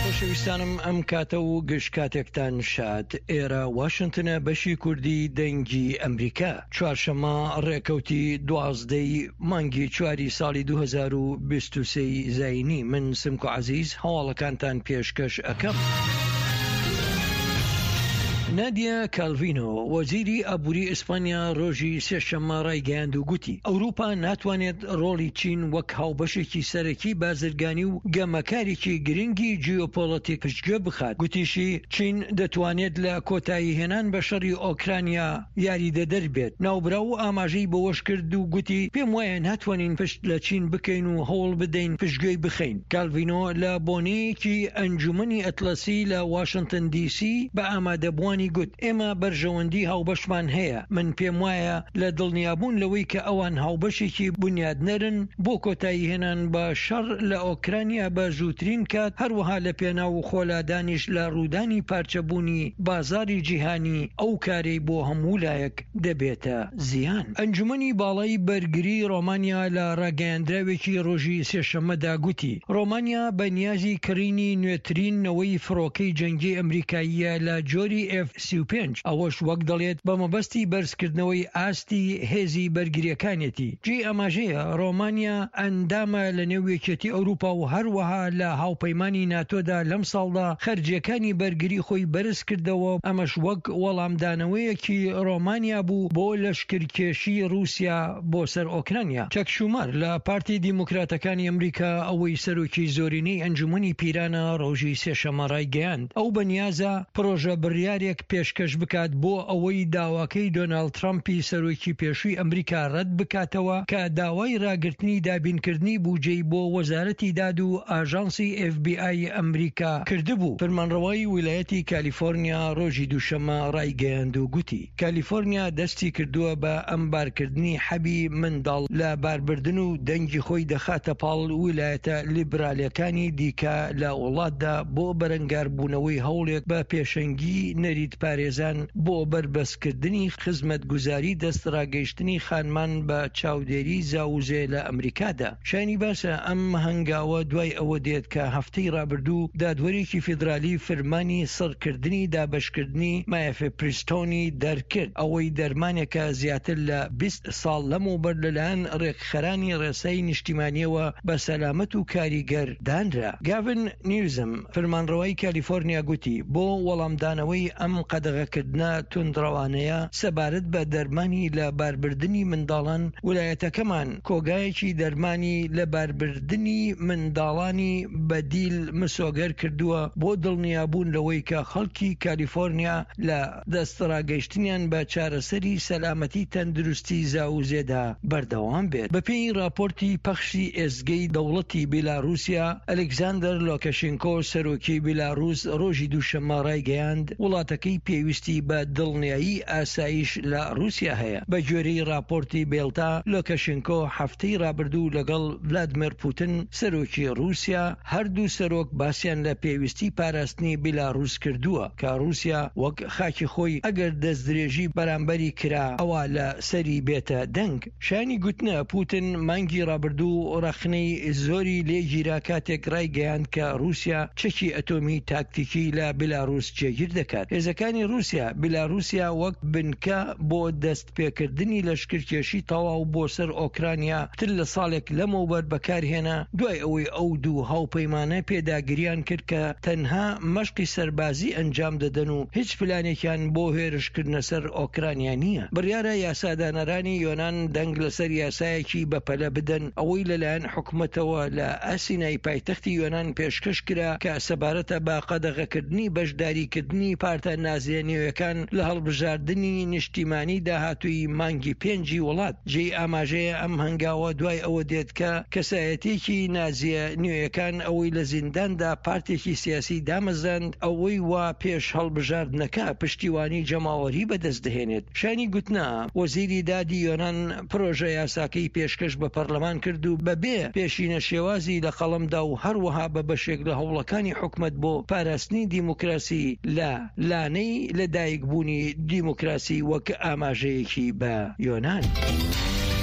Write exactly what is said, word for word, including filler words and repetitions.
خۆشەویستانم ئەم کاتە و گشت کاتێکتان شاد. ئێرە واشنتنە، بەشی کوردی دەنگی ئەمریکا. چوارشەممە ڕێکەوتی دوازدەی مانگی چواری ساڵی دوو هەزار و بیست و سێ زایینی، من سمکۆ عەزیز هەواڵەکانتان پێشکەش ئەکەم. نادیا کالڤینۆ، وەزیری ئابووری ئیسپانیا ڕۆژی سێشەممە ڕایگەیاند و گوتی، ئەوروپا ناتوانێت ڕۆڵی چین وەک هاوبەشێکی سەرەکی بازرگانی و گەمەکارێکی گرنگی جیۆپۆڵەتیک پشتگوێ بخات. گوتیشی، چین دەتوانێت لە کۆتاییهێنان بە شەڕی ئۆکرانیا یاریدەدەر بێت. ناوبراو ئاماژەی بەوەشکرد و گوتی، پێم وایە ناتوانین پشت لە چین بکەین و هەوڵ بدەین پشتگوێی بخەین. کالڤینۆ لە بۆنەیەکی ئەنجومەنی ئەتڵەسی لە واشنتن دی سی بە ئامادەبووانی گوت، ئێمە بەرژەوەندی هاوبەشمان هەیە، من پێم وایە لە دڵنیابوون لەوەی کە ئەوان هاوبەشێکی بونیادنەرن بۆ کۆتاییهێنان بە شەڕ لە ئۆکرانیا بە زووترین کات، هەروەها لە پێناو خۆلادانیش لە ڕوودانی پارچەبوونی بازاڕی جیهانی، ئەو کارەی بۆ هەموو لایەک دەبێتە زیان. ئەنجومەنی باڵای بەرگری ڕۆمانیا لە ڕاگەیاندراوێکی ڕۆژی سێشەممەدا گوتی، ڕۆمانیا بە نیازی کڕینی نوێترین نەوەی فڕۆکەی جەنگی ئەمریکاییە لە جۆری ئێف سی و پێنج، ئەوەش وەک دەڵێت بە مەبەستی بەرزکردنەوەی ئاستی هێزی بەرگریەکانێتی. جێی ئاماژەیە ڕۆمانیا ئەندامە لە نێو یەکێتی ئەوروپا و هەروەها لە هاوپەیمانی ناتۆدا لەم ساڵدا خەرجیەکانی بەرگری خۆی بەرز کردەوە، ئەمەش وەک وەڵامدانەوەیەکی ڕۆمانیا بوو بۆ لەشکرکێشی ڕووسیا بۆ سەر ئۆکرانیا. چەک شومەر لە پارتی دیموکراتەکانی ئەمریکا ئەوەی سەرۆکی زۆرینەی ئەنجومەنی پیرانە ڕۆژی سێشەممە ڕایگەیاند ئەو بەنیازە پرۆژە بڕیارێک پێشکەش بکات بۆ ئەوەی داواکەی دۆناڵد ترەمپی سەرۆکی پێشووی ئەمریکا ڕەت بکاتەوە کە داوای ڕاگرتنی دابینکردنی بوجەی بۆ وەزارەتی داد و ئاژانسی ئێف بی ئای ئەمریکا کردبوو. فەرمانڕەوای ویلایەتی کالیفۆرنیا ڕۆژی دووشەممە ڕایگەیاند و گوتی، کالیفۆرنیا دەستی کردووە بە ئەمبارکردنی حەبی منداڵ لە باربردن و دەنگی خۆی دەخاتە پاڵ ویلایەتە لیبرالەکانی دیکە لە وڵاتدا بۆ بەرەنگاربوونەوەی هەوڵێک بە پێشەنگی نەریت پارێزان بۆ بەربەستکردنی خزمەتگوزاری دەستڕاگەیشتنی خانمان بە چاودێری زاوزێ لە ئەمریکادا. شایانی باسە ئەم هەنگاوە دوای ئەوە دێت کە هەفتەی ڕابردوو دادوەرێکی فیدرالی فرمانی سڕکردنی دابەشکردنی مایفێپریستۆنی دەرکرد، ئەوەی دەرمانێکە زیاتر لە بیست ساڵ لەمەوبەر لەلایەن ڕێکخەرانی ڕێسای نیشتیمانیەوە بە سەلامەت و کاریگەر دانرا. گاڤن نیوزم، فرمانڕەوای کالیفۆرنیا گوتی، بۆ وەڵامدانەوەی ئەم قەدەغەکردنە توندڕەوانەیە سەبارەت بە دەرمانی لە باربردنی منداڵان، ولایەتەکەمان کۆگایەکی دەرمانی لە باربردنی منداڵانی بەدیل مسۆگەر کردووە بۆ دڵنیابوون لەوەی کە خەڵکی کالیفۆرنیا لە دەستڕاگەیشتنیان بە چارەسەری سەلامەتی تەندروستی زاوزێدا بەردەوام بێت. بەپێی ڕاپۆرتی پەخشی ئێزگەی دەوڵەتی بیلاروسیا، ئەلێکزاندەر لۆکەشینکۆ سەرۆکی بیلاروس ڕۆژی دووشەممە ڕایگەیاند، وڵاتەکەی پێویستی بە دڵنیایی ئاسایش لە ڕووسیا هەیە. بەگوێرەی ڕاپۆرتی بێلتا، لۆکەشینکۆ هەفتەی ڕابردوو لەگەڵ ڤلادمێر پوتن سەرۆکی ڕووسیا، هەردوو سەرۆک باسیان لە پێویستی پاراستنی بیلاروس کردووە کە ڕووسیا وەک خاکی خۆی ئەگەر دەستدرێژی بەرامبەری کرا ئەوا لە سەری بێتە دەنگ. شایانی گوتنە پوتن مانگی ڕابردوو ڕەخنەی زۆری لێگیرا کاتێک ڕایگەیاند کە ڕووسیا چەکی ئەتۆمی تاکتیکی لە بیلاروس جێگیر دەکات. هێزەکانی ڕووسیا بیلاروسیا وەک بنکە بۆ دەست پێکردنی لەشکرکێشی تەواو بۆ سەر ئۆکرانیا پتر لە ساڵێک لەمەوبەر بەکارهێنا، دوای ئەوەی ئەو دوو هاوپەیمانە پێداگریان کرد کە تەنها مەشقی سەربازی ئەنجام دەدەن و هیچ پلانێکیان بۆ هێرشکردنە سەر ئۆکرانیا نییە. بڕیارە یاسادانەرانی یۆنان دەنگ لەسەر یاسایەکی بەپەلە بدەن ئەوەی لەلایەن حکومەتەوە لە ئەسینای پایتەختی یۆنان پێشکەش کرا کە سەبارەتە بە قەدەغەکردنی بەشداریکردنی پارتە نازیە نوێیەکان لە هەڵبژاردنی نیشتیمانی داهاتووی مانگی پێنجی وڵات. جێی ئاماژەیە ئەم هەنگاوە دوای ئەوە دێت کە کەسایەتیەکی نازیە نوێیەکان ئەوەی لە زینداندا پارتێکی سیاسی دامەزراند ئەوەی وا پێش هەڵبژاردنەکە پشتیوانی جەماوەری بەدەست دەهێنێت. شایانی گوتنە وەزیری دادی یۆنان پرۆژە یاساکەی پێشکەش بە پەرلەمان کرد و بەبێ پێشینە شێوازی لە قەڵەمدا و هەروەها بە بەشێک لە هەوڵەکانی حکومەت بۆ پاراستنی دیموکراسی لە لانەی لەدایکبوونی دیموکراسی وەک ئاماژەیەکی بە یۆنان.